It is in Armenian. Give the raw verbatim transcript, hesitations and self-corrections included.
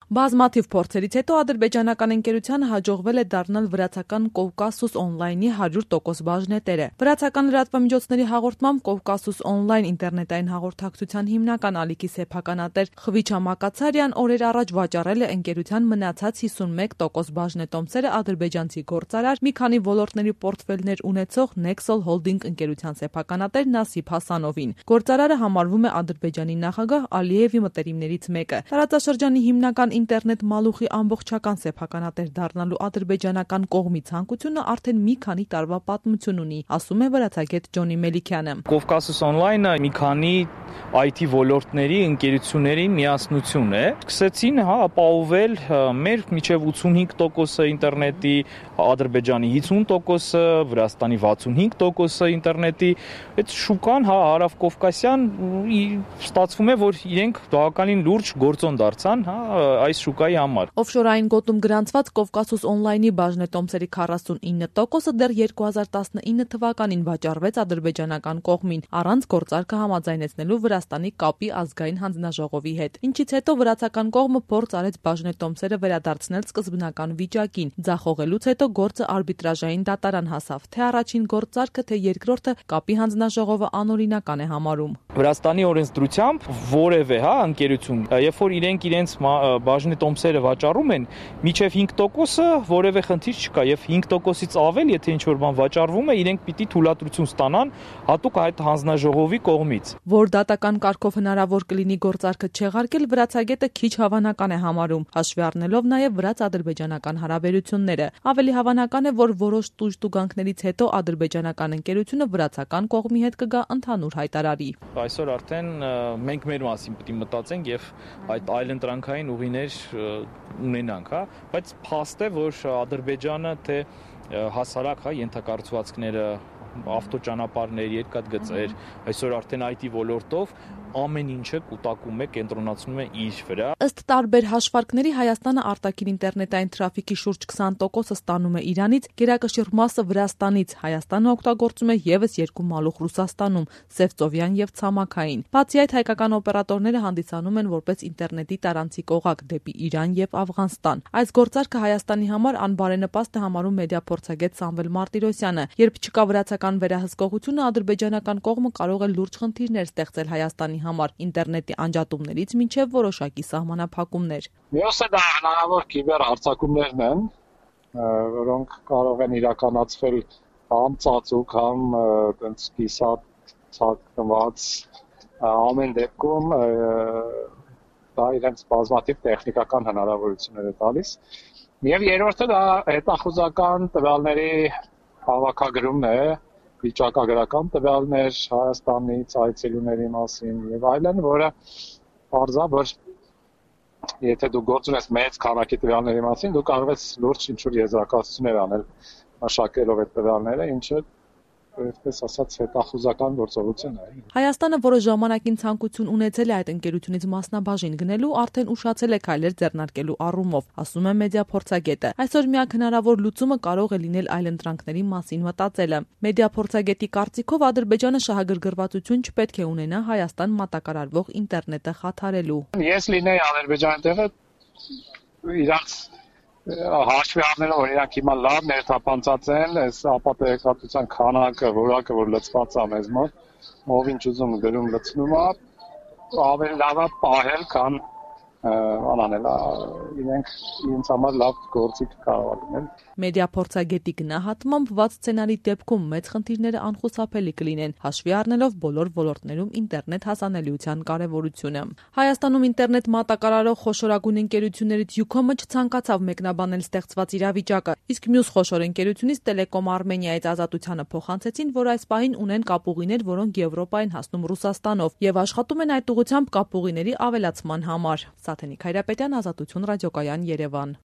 Բազմաթիվ փորձերից հետո ադրբեջանական ընկերությանը հաջողվել է դառնալ վրացական Կովկասուս օնլայնի հարյուր տոկոս բաժնետերը։ Վրացական լրատվամիջոցների հաղորդմամբ Կովկասուս օնլայն ինտերնետային հաղորդակցության հիմնական ալիքի սեփականատեր Խվիչա Մակացարյան օրեր առաջ վաճառել է ընկերության մնացած հիսունմեկ տոկոս բաժնետոմսերը ադրբեջանցի գործարար, մի քանի ոլորտների պորտֆելներ ունեցող Nexol Holding ընկերության սեփականատեր Նասիբ Հասանովին։ Գործարարը համարվում է Ադրբեջանի նախագահ Ալիևի մտերիմներից մեկը։ Տարածաշրջանի հիմնական ինտերնետ մալուխի ամբողջական սեփականատեր դառնալու ադրբեջանական կողմի ցանկությունը արդեն մի քանի տարվա պատմություն ունի, ասում է վրացագետ Ջոնի Մելիքյանը։ Կովկասուս օնլայնը մի քանի այ թի ոլորտների ընկերությունների միասնություն է։ Սկսեցին հա ապահովել մեր միջև ութսունհինգ տոկոսը ինտերնետի, Ադրբեջանի հիսուն տոկոսը, Վրաստանի վաթսունհինգ տոկոսը ինտերնետի։ Այդ շուկան հա հարավկովկասյան ստացվում է, որ իրենք բավականին լուրջ գործոն դարձան, հա այս շուկայի համար։ Օֆշորային գոտում գրանցված Կովկասուս օնլայնի բաժնետոմսերի քառասունինը տոկոսը դեռ երկու հազար տասնինը թվականին վաճառվեց ադրբեջանական կողմին, առանց գործարքը համաձայնեցնելու Վրաստանի կապի ազգային հանձնաժողովի հետ։ Ինչից հետո վրացական կողմը փորձ արեց բաժնետոմսերը վերադարձնել սկզբնական վիճակին։ Ձախողելուց հետո գործը արբիտրաժային դատարան հասավ։ Թե առաջին գործարքը, թե երկրորդը կապի հանձնաժողովը անօրինական է համարում։ Վրաստանի օրենսդրությամբ որևէ հա ընկերություն, երբ որ իրենք իրենց բաժնետոմսերը վաճառում են, միջև հինգ տոկոսը որևէ խնդիր չկա, եւ հինգ տոկոսից ավել, եթե ինչ-որ բան վաճառվում է, իրենք պիտի թույլատրություն ստանան հատուկ այդ հանձնաժողովի կողմից։ Որ դատական կարգով հնարավոր կլինի գործարքը չեղարկել, վրացագետը քիչ հավանական է համարում, հաշվի առնելով նաեւ վրաց-ադրբեջանական հարաբերությունները։ Ավելի հավանական է, որ որոշ տուժտուգանքներից հետո ադրբեջանական ընկերությունը վրացական կողմի հետ կգա ընդհանուր հայտարարի։ Այսօր արդեն մենք մեր մասին պիտի մտածենք եւ այդ այլընտրանքային ուղիներ ունենանք, հա, բայց փաստ է, որ Ադրբեջանը թե հասարակ հա ենթակառուցվածքները, ավտոճանապարհներ, երկաթգծեր, այսօր արդեն այ թի ոլորտով ամեն ինչը կուտակում է, կենտրոնացնում է իր վրա։ Ըստ տարբեր հաշվարկների Հայաստանը արտաքին ինտերնետային թրաֆիկի շուրջ քսան տոկոսը ստանում է Իրանից, գերակշիռ մասը Վրաստանից, Հայաստանը օգտագործում է եւս երկու մալուխ Ռուսաստանում՝ Սևծովյան եւ Ցամաքային։ Բացի այդ, հայկական օպերատորները հանդիսանում են որպես ինտերնետի տարանցիկ օղակ դեպի Իրան եւ Աֆղանստան։ Այս գործարքը Հայաստանի համար անբարենպաստ է համարում մեդիափորձագետ Սամվել Մարտիրոսյանը։ Երբ չկա վրացական վերահսկողությունը, ադրբեջանական կողմը կարող է լուրջ խնդիրներ ստեղծել Հայաստանի համար ինտերնետի անջատումներից մինչև որոշակի սահմանափակումներ։ Մյուսը դա հնարավոր կիբեր հարձակումներն են, որոնք կարող են իրականացվել կամ ծածուկ, կամ այդպես կիսատ ցածկված, ամեն դեպքում դա իրենց բազմաթիվ տեխնիկական հնարավորություններ է տալիս։ Եվ երրորդը դա հետախուզական տվյալների հավաքագրումն է, վիճակագրական տվյալներ Հայաստանից, այցելուների մասին եւ այլն, որը բարձա, որ եթե դու գործ ունես մեծ քանակի տվյալների մասին, դու կարող ես լուրջ ինչ-որ եզրակացություններ անել մշակելով այդ տվյալները, ինչը այսպես ասած հետախուզական գործողություն է։ Հայաստանը որոշ ժամանակին ցանկություն ունեցել է այդ ընկերությունից մասնաբաժին գնելու, արդեն ուշացել է քայլեր ձեռնարկելու առումով, ասում է մեդիափորձագետը։ Այսօր միակ հնարավոր լուծումը կարող է լինել այլընտրանքների մասին մտածելը։ Մեդիափորձագետի կարծիքով Ադրբեջանը շահագրգռվածություն չպետք է ունենա Հայաստան մատակարարվող ինտերնետը խաթարելու։ Ես լինեի Ադրբեջանի տեղը, իրանց հաշվի առնելով, որ իրանք հիմա լավ ներթափանցած են, այս ապատեգրատության քանակը, որակը, որ լծված է մեզ մոտ, ով ինչ ուզում գրում լցնում է, ավելի լավ է պահել, քան անանել, իրենք իրենց համար լավ գործիք կարող լինել։ Մեդիափորձագետի գնահատմամբ վատ սցենարի դեպքում մեծ խնդիրները անխուսափելի կլինեն, հաշվի առնելով բոլոր ոլորտներում ինտերնետ հասանելիության կարևորությունը։ Հայաստանում ինտերնետ մատակարարող խոշորագույն ընկերություններից Յուքոմը չցանկացավ մեկնաբանել ստեղծված իրավիճակը, իսկ մյուս խոշոր ընկերությունից Տելեկոմ Արմենիայից Ազատությանը փոխանցեցին, որ այս պահին ունեն կապուղիներ, որոնք Եվրոպա են հասնում Ռուսաստանով եւ աշխատում են այդ ուղղությամբ կապուղիների ավելացման համար։ Սաթենիկ Հայրապետյան, Ազատություն ռադիոկայան, Երևան։